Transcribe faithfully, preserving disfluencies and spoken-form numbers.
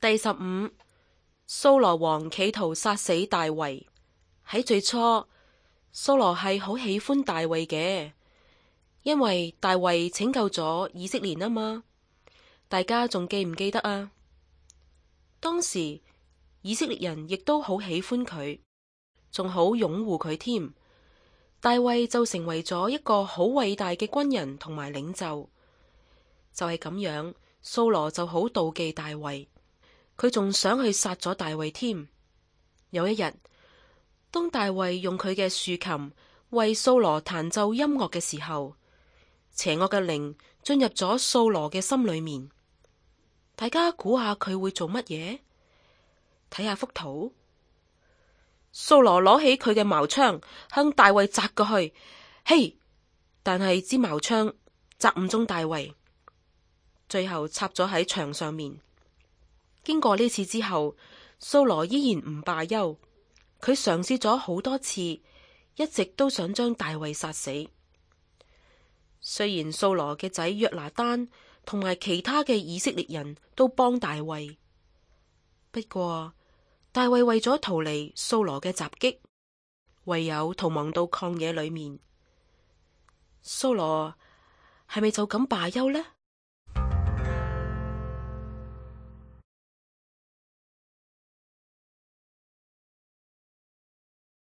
第十五，掃羅王企圖殺死大衛。喺最初，掃羅係好喜歡大衛嘅，因為大衛拯救咗以色列啊嘛。大家仲記唔記得啊？當時以色列人亦都好喜歡佢，仲好擁護佢添。大衛就成為咗一個好偉大嘅軍人同埋領袖。就係咁樣，掃羅就好妒忌大衛。佢仲想去殺咗大衛添。有一日，當大衛用佢嘅豎琴為掃羅彈奏音樂嘅時候，邪惡嘅靈進入咗掃羅嘅心裏面。大家估下佢會做乜嘢？睇下幅圖，掃羅攞起佢嘅矛槍向大衛砸過去，嘿！但係支矛槍砸唔中大衛，最後插咗喺牆上面。經過呢次之後，掃羅依然唔罷休，佢嘗試咗好多次，一直都想將大衛殺死。雖然掃羅嘅仔約拿單同埋其他嘅以色列人都幫大衛，不過大衛為咗逃離掃羅嘅襲擊，唯有逃亡到曠野裏面。掃羅係咪就咁罷休呢？